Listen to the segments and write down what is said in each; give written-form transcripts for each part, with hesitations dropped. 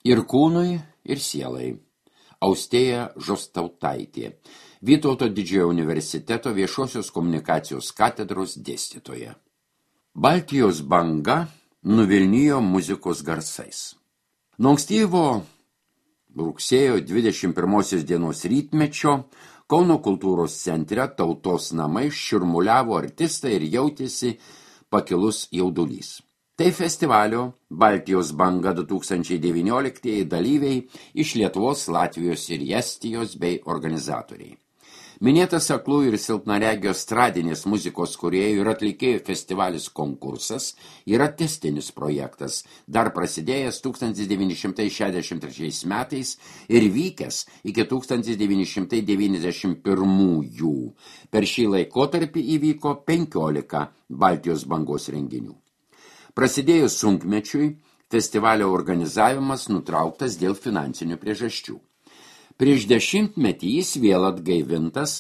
Ir kūnui, ir sielai. Austėja Žostautaitė, Vytauto Didžiojo universiteto viešosios komunikacijos katedros dėstytoja. Baltijos banga nuvilnijo muzikos garsais. Nuo ankstyvo rugsėjo 21 dienos rytmečio Kauno kultūros centre Tautos namai šurmuliavo artistai ir jautėsi pakilus jaudulys. Tai festivalio Baltijos banga 2019 dalyviai iš Lietuvos, Latvijos ir Estijos bei organizatoriai. Minėtas aklųjų ir silpnaregio estradinės muzikos kūrėjų ir atlikėjų festivalis konkursas yra tęstinis projektas, dar prasidėjęs 1963 metais ir vykęs iki 1991. Per šį laikotarpį įvyko 15 Baltijos bangos renginių. Prasidėjus sunkmečiui, festivalio organizavimas nutrauktas dėl finansinių priežasčių. Prieš 10 metį jis vėl atgaivintas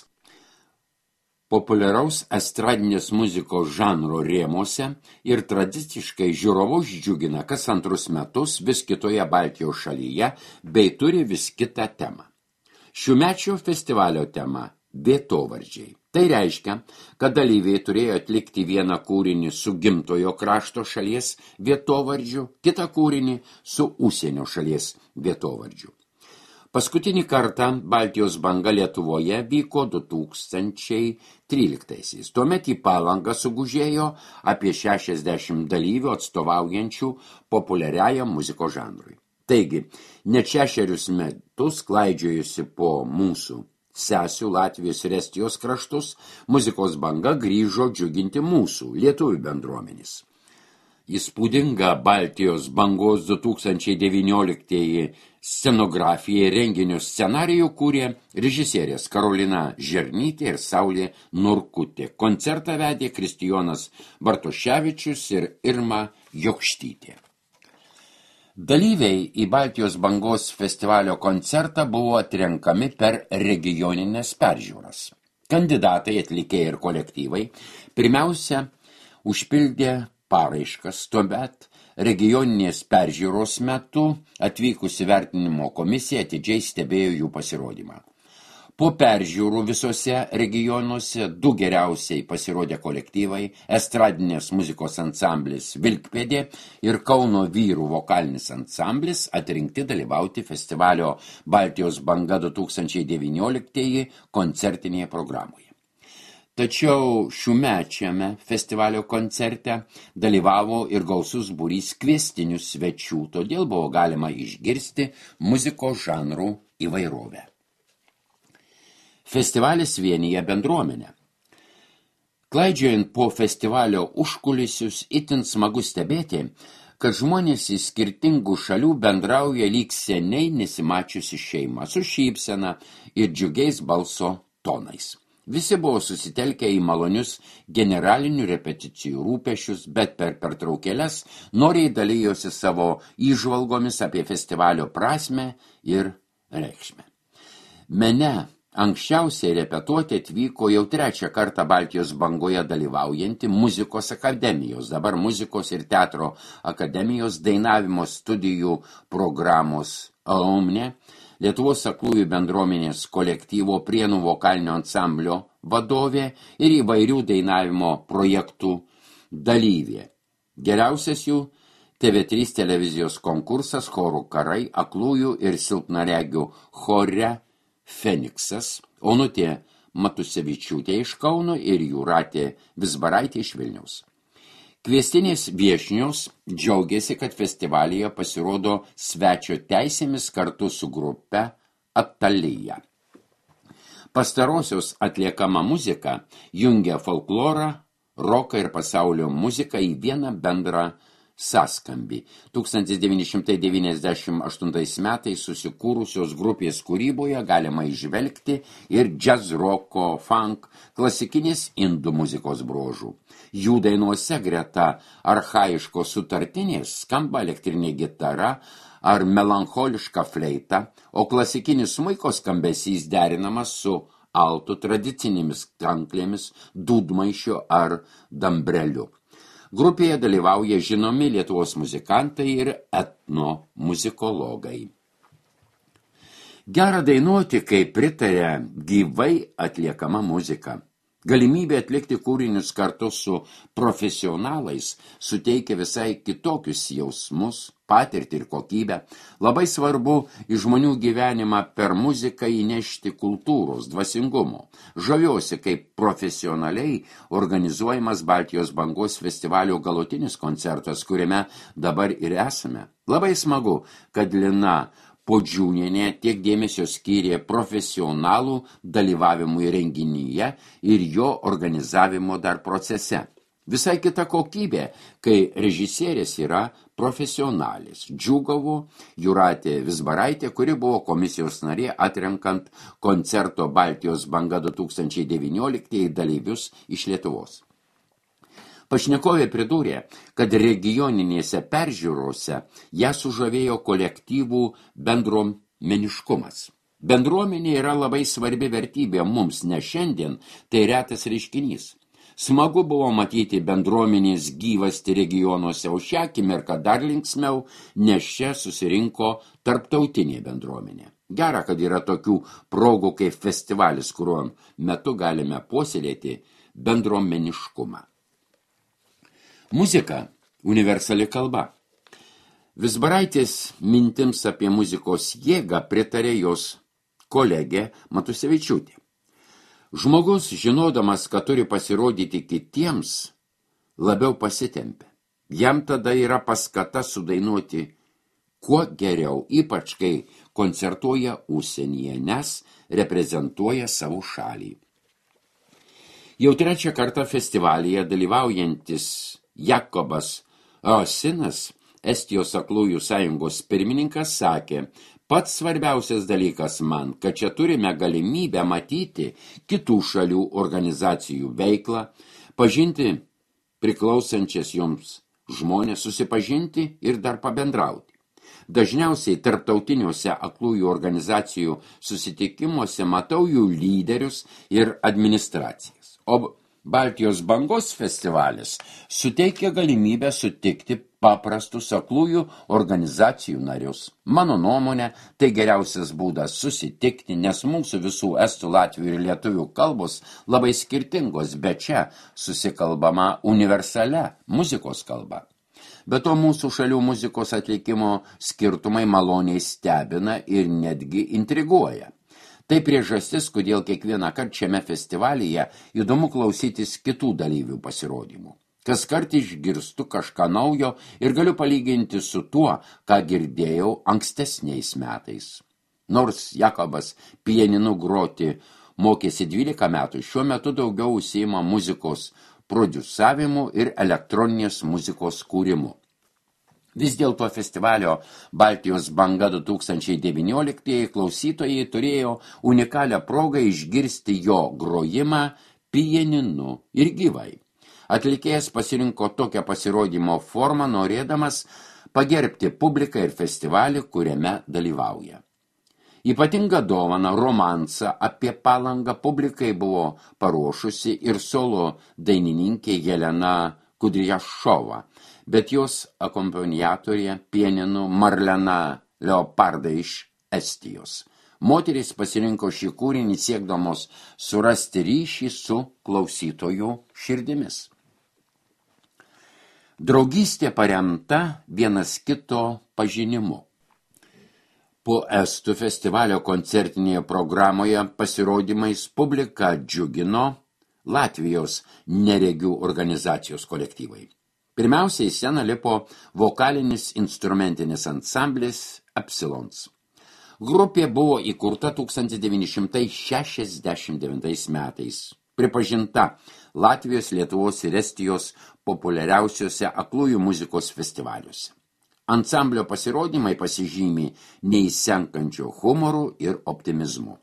populiaraus estradinės muzikos žanro rėmuose ir tradiciškai žiūrovus džiugina kas antrus metus vis kitoje Baltijos šalyje bei turi vis kitą temą. Šiųmečio festivalio tema – vietovardžiai. Tai reiškia, kad dalyviai turėjo atlikti vieną kūrinį su gimtojo krašto šalies vietovardžiu, kitą kūrinį su užsienio šalies vietovardžiu. Paskutinį kartą Baltijos banga Lietuvoje vyko 2013. Tuomet į Palangą sugužėjo apie 60 dalyvių atstovaujančių populiariajam muzikos žanrui. Taigi, net 6 metus klaidžiojusi po mūsų sesių Latvijos ir Estijos kraštus, muzikos banga grįžo džiuginti mūsų lietuvių bendruomenės. Įspūdinga Baltijos bangos 2019 scenografija ir renginio scenarijų kūrė režisierės Karolina Žernytė ir Saulė Norkutė. Koncertą vedė Kristijonas Bartoševičius ir Irma Jokštytė. Dalyviai į Baltijos bangos festivalio koncertą buvo atrenkami per regioninės peržiūras. Kandidatai, atlikėjai ir kolektyvai pirmiausia užpildė paraiškas, tuomet regioninės peržiūros metu atvykusi vertinimo komisija atidžiai stebėjo jų pasirodymą. Po peržiūrų visose regionuose 2 geriausiai pasirodė kolektyvai, estradinės muzikos ansamblis Vilkpėdė ir Kauno vyrų vokalinis ansamblis atrinkti dalyvauti festivalio Baltijos banga 2019 koncertinėje programoje. Tačiau šiųmečiame festivalio koncerte dalyvavo ir gausus būrys kviestinių svečių, todėl buvo galima išgirsti muzikos žanrų įvairovę. Festivalis vienija bendruomenę. Klaidžiojant po festivalio užkulisius, itin smagu stebėti, kad žmonės iš skirtingų šalių bendrauja lyg seniai nesimačiusi šeima, su šypsena ir džiugiais balso tonais. Visi buvo susitelkę į malonius generalinių repeticijų rūpešius, bet per pertraukėles noriai dalijosi savo įžvalgomis apie festivalio prasmę ir reikšmę. Mene anksčiausiai repetuoti atvyko jau 3 kartą Baltijos bangoje dalyvaujanti Muzikos akademijos, dabar Muzikos ir teatro akademijos dainavimo studijų programos alumnė, Lietuvos aklųjų bendruomenės kolektyvo Prienų vokalinio ansamblio vadovė ir įvairių dainavimo projektų dalyvė. Geriausias jų TV3 televizijos konkursas Chorų karai aklųjų ir silpnaregių chore Feniksas, Onutė Matusevičiūtė iš Kauno ir Jūratė Vizbaraitė iš Vilniaus. Kviestinės viešnios džiaugiasi, kad festivalyje pasirodo svečio teisėmis kartu su grupe Atalyja. Pastarosios atliekama muzika jungia folklorą, roką ir pasaulio muziką į vieną bendrą sąskambį. 1998 metais susikūrusios grupės kūryboje galima įžvelgti ir jazz, roko, funk, klasikinės indų muzikos bruožų. Jų dainuose greta archaiškos sutartinės skamba elektrinė gitara ar melancholiška fleita, o klasikinis smuiko skambesys derinamas su altų tradicinėmis kanklėmis, dūdmaišiu ar dambreliu. Grupėje dalyvauja žinomi Lietuvos muzikantai ir etnomuzikologai. Gera dainuoti, kai pritaria gyvai atliekama muzika. Galimybė atlikti kūrinius kartu su profesionalais suteikia visai kitokius jausmus, patirtį ir kokybę. Labai svarbu į žmonių gyvenimą per muziką įnešti kultūros, dvasingumo. Žaviuosi, kaip profesionaliai organizuojamas Baltijos bangos festivalio galutinis koncertas, kuriame dabar ir esame. Labai smagu, kad Lina Podžiūnienė tiek dėmesio skyrė profesionalų dalyvavimui renginyje ir jo organizavimo dar procese. Visai kita kokybė, kai režisierės yra profesionalis. Džiūgavo Jūratė Vizbaraitė, kuri buvo komisijos narė atrenkant koncerto Baltijos banga 2019 dalyvius iš Lietuvos. Pašnekovė pridūrė, kad regioninėse peržiūrose ją sužavėjo kolektyvų bendruomeniškumas. Bendruomenė yra labai svarbi vertybė mums, ne šiandien, tai retas reiškinys. Smagu buvo matyti bendruomenės gyvasti regionuose, o šią akimirką dar linksmiau, nes čia susirinko tarptautinė bendruomenė. Gera, kad yra tokių progų kaip festivalis, kuriuo metu galime puoselėti bendruomeniškumą. Muzika – universali kalba. Vizbaraitės mintims apie muzikos jėgą pritarė jos kolegė Matusevičiūtė. Žmogus, žinodamas, kad turi pasirodyti kitiems, labiau pasitempia. Jam tada yra paskata sudainuoti kuo geriau, ypač kai koncertuoja užsienyje, nes reprezentuoja savo šalį. Jau trečią kartą festivalyje dalyvaujantis Jakobas Osinas, Estijos aklųjų sąjungos pirmininkas, sakė, pats svarbiausias dalykas man, kad čia turime galimybę matyti kitų šalių organizacijų veiklą, pažinti priklausančias joms žmonės, susipažinti ir dar pabendrauti. Dažniausiai tarptautiniuose aklųjų organizacijų susitikimuose matau jų lyderius ir administracijas. O Baltijos bangos festivalis suteikia galimybę sutikti paprastus aklųjų organizacijų narius. Mano nuomonė, tai geriausias būdas susitikti, nes mūsų visų estų, latvių ir lietuvių kalbos labai skirtingos, bet čia susikalbama universalia muzikos kalba. Be to mūsų šalių muzikos atlikimo skirtumai maloniai stebina ir netgi intriguoja. Tai priežastis, kodėl kiekvieną kartą šiame festivalyje įdomu klausytis kitų dalyvių pasirodymų. Kas kart išgirstu kažką naujo ir galiu palyginti su tuo, ką girdėjau ankstesniais metais. Nors Jakobas pianinu groti mokėsi 12 metų, šiuo metu daugiau užsiima muzikos prodiusavimu ir elektroninės muzikos kūrimu. Vis dėlto festivalio Baltijos banga 2019 klausytojai turėjo unikalią progą išgirsti jo grojimą pianinu ir gyvai. Atlikėjas pasirinko tokią pasirodymo formą, norėdamas pagerbti publiką ir festivalį, kuriame dalyvauja. Ypatingą dovaną romansą apie Palangą publikai buvo paruošusi ir solo dainininkė Jelena Kudrijašova, bet jos akompaniatorė pianinu Marlena Leoparda iš Estijos. Moterys pasirinko šį kūrinį siekdamos surasti ryšį su klausytojų širdimis. Draugystė paremta vienas kito pažinimu. Po estų festivalio koncertinėje programoje pasirodymais publiką džiugino Latvijos neregių organizacijos kolektyvai. Pirmiausiai į sceną lipo vokalinis instrumentinis ansamblis Epsilons. Grupė buvo įkurta 1969 metais. Pripažinta Latvijos, Lietuvos ir Estijos populiariausiuose aklųjų muzikos festivaliuose. Ansamblio pasirodymai pasižymi neįsenkančiu humoru ir optimizmu.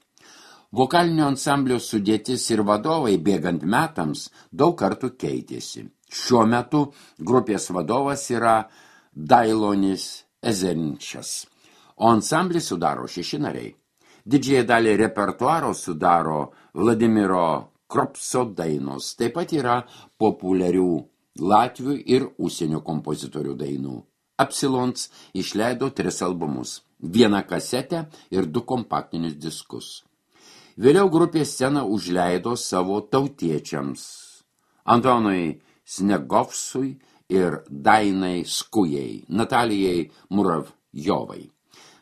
Vokalinio ansamblio sudėtis ir vadovai bėgant metams daug kartų keitėsi. Šiuo metu grupės vadovas yra Dailonis Ezerinčias, o ansamblį sudaro 6 nariai. Didžiąją dalį repertuaro sudaro Vladimiro Kropso dainos, taip pat yra populiarių latvių ir užsienio kompozitorių dainų. Absilons išleido 3 albumus, 1 kasetę ir 2 kompaktinius diskus. Vėliau grupė sceną užleido savo tautiečiams Antonui Snegovsui ir Dainai Skujai, Natalijai Muravjovai.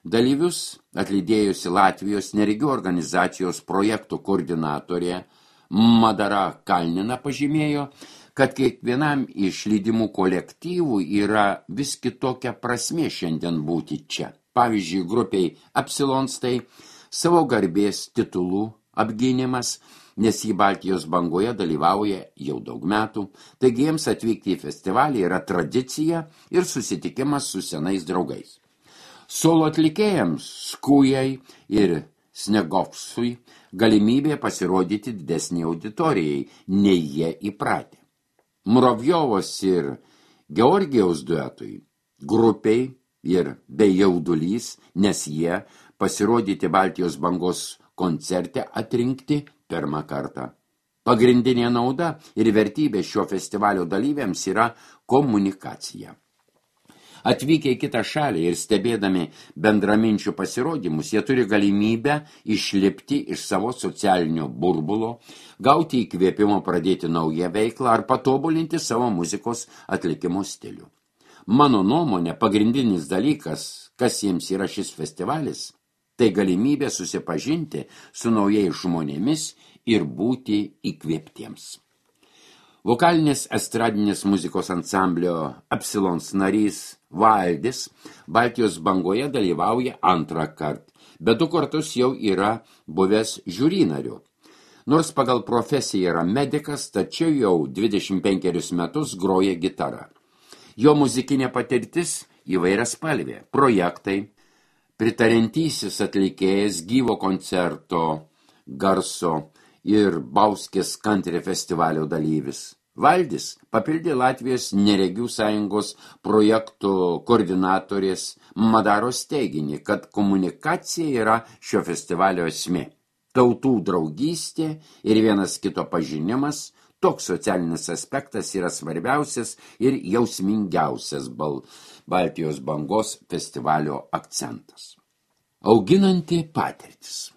Dalyvius atlydėjusi Latvijos neregių organizacijos projektų koordinatorė Madara Kalnina pažymėjo, kad kiekvienam iš lydimų kolektyvų yra vis kitokia prasmė šiandien būti čia. Pavyzdžiui, grupiai Absilons tai savo garbės titulų apgynimas, nes į Baltijos bangoje dalyvauja jau daug metų, taigi jiems atvykti į festivalį yra tradicija ir susitikimas su senais draugais. Solo atlikėjams Skujai ir Snegovsui galimybė pasirodyti didesnį auditorijai, nei jie įpratę. Muravjovos ir Georgijaus duetui, grupiai ir bei jaudulys, nes jie pasirodyti Baltijos bangos koncerte atrinkti pirmą kartą. Pagrindinė nauda ir vertybė šio festivalio dalyviams yra komunikacija. Atvykę į kitą šalį ir stebėdami bendraminčių pasirodymus, jie turi galimybę išlipti iš savo socialinio burbulo, gauti įkvėpimo pradėti naują veiklą ar patobulinti savo muzikos atlikimo stilių. Mano nuomonė, pagrindinis dalykas, kas jiems yra šis festivalis, tai galimybė susipažinti su naujais žmonėmis ir būti įkvėptiems. Vokalinės estradinės muzikos ansamblio Absilons narys Valdis Baltijos bangoje dalyvauja 2 kartą, bet 2 kartus jau yra buvęs žiūrinariu. Nors pagal profesiją yra medikas, tačiau jau 25 metus groja gitarą. Jo muzikinė patirtis įvairiaspalvė, projektai, pritariantysis atlikėjas gyvo koncerto garso ir Bauskės country festivalio dalyvis. Valdis papildė Latvijos neregių sąjungos projektų koordinatorės Madaros teiginį, kad komunikacija yra šio festivalio esmė. Tautų draugystė ir vienas kito pažinimas, toks socialinis aspektas yra svarbiausias ir jausmingiausias Baltijos bangos festivalio akcentas. Auginanti patirtis.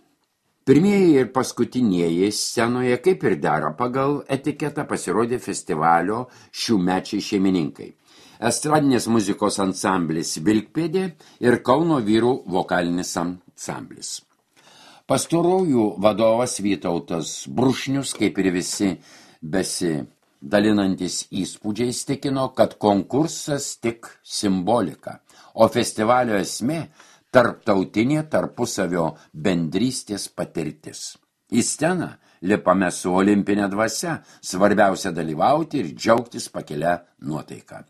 Pirmieji ir paskutinieji scenoje, kaip ir dera pagal etiketą, pasirodė festivalio šiųmečiai šeimininkai. Estradinės muzikos ansamblis Vilkpėdė ir Kauno vyrų vokalinis ansamblis. Pastarųjų vadovas Vytautas Brušnius, kaip ir visi besidalinantis įspūdžiais, tikino, kad konkursas tik simbolika, o festivalio esmė tarptautinė tarpusavio bendrystės patirtis. Į sceną lipame su olimpinė dvasia, svarbiausia dalyvauti ir džiaugtis pakelia nuotaiką.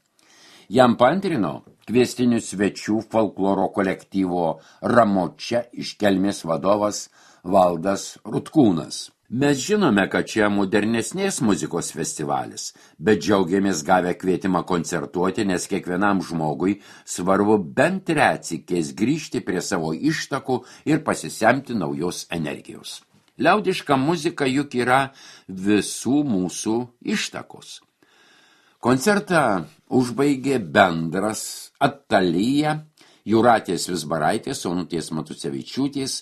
Jam paantrino kviestinių svečių folkloro kolektyvo Ramočia iš Kelmės vadovas Valdas Rutkūnas. Mes žinome, kad čia modernesnės muzikos festivalis, bet džiaugiamės gavę kvietimą koncertuoti, nes kiekvienam žmogui svarbu bent retsykiais grįžti prie savo ištakų ir pasisemti naujos energijos. Liaudiška muzika juk yra visų mūsų ištakos. Koncertą užbaigė bendras Atalyja, Jūratės Vizbaraitės, Onutės Matusevičiūtės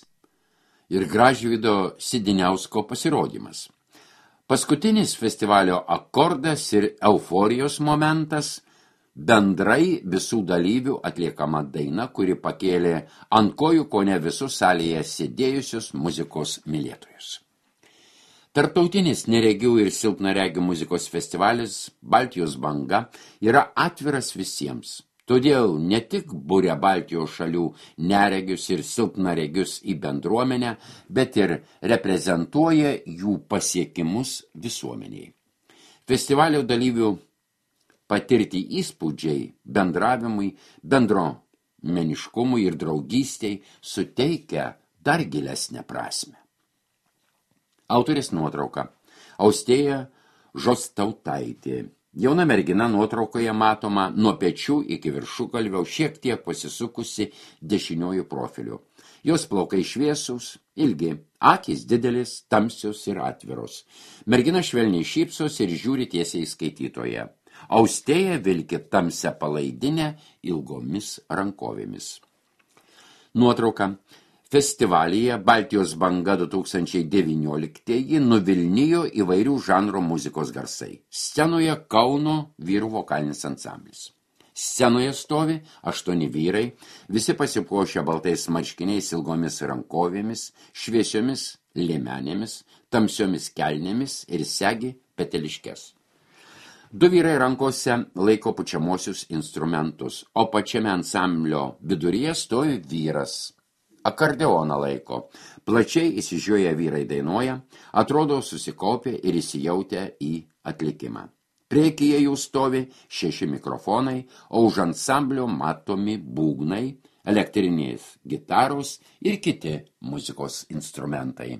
ir Gražvydo Sidiniausko pasirodymas. Paskutinis festivalio akordas ir euforijos momentas bendrai visų dalyvių atliekama daina, kuri pakėlė ant kojų kone visus salėje sėdėjusius muzikos mylėtojus. Tarptautinis neregių ir silpnaregių muzikos festivalis Baltijos banga yra atviras visiems. Todėl ne tik buria Baltijos šalių neregius ir silpnaregius į bendruomenę, bet ir reprezentuoja jų pasiekimus visuomeniai. Festivalio dalyvių patirti įspūdžiai bendravimui, bendruomeniškumui ir draugystei suteikia dar gilesnę prasmę. Autorės nuotrauka. Austėja Žostautaitė. Jauna mergina nuotraukoje matoma nuo pečių iki viršugalvio, šiek tiek pasisukusi dešiniuoju profiliu. Jos plaukai šviesūs, ilgi, akys didelis, tamsios ir atviros. Mergina švelniai šypsos ir žiūri tiesiai į skaitytoją. Austėja vilki tamsią palaidinę ilgomis rankovėmis. Nuotrauka. Festivalyje Baltijos banga 2019 nuvilnijo įvairių žanro muzikos garsai. Scenoje Kauno vyrų vokalinis ansamblis. Scenoje stovi 8 vyrai, visi pasipuošę baltais marškiniais ilgomis rankovėmis, šviesiomis liemenėmis, tamsiomis kelnėmis ir segi peteliškes. 2 vyrai rankose laiko pučiamosius instrumentus, o pačiame ansamblio viduryje stovi vyras. Akordeoną laiko. Plačiai įsižiūrėję vyrai dainuoja, atrodo susikaupę ir įsijautę į atlikimą. Priekyje jų stovi 6 mikrofonai, o už ansamblio matomi būgnai, elektrinės gitaros ir kiti muzikos instrumentai.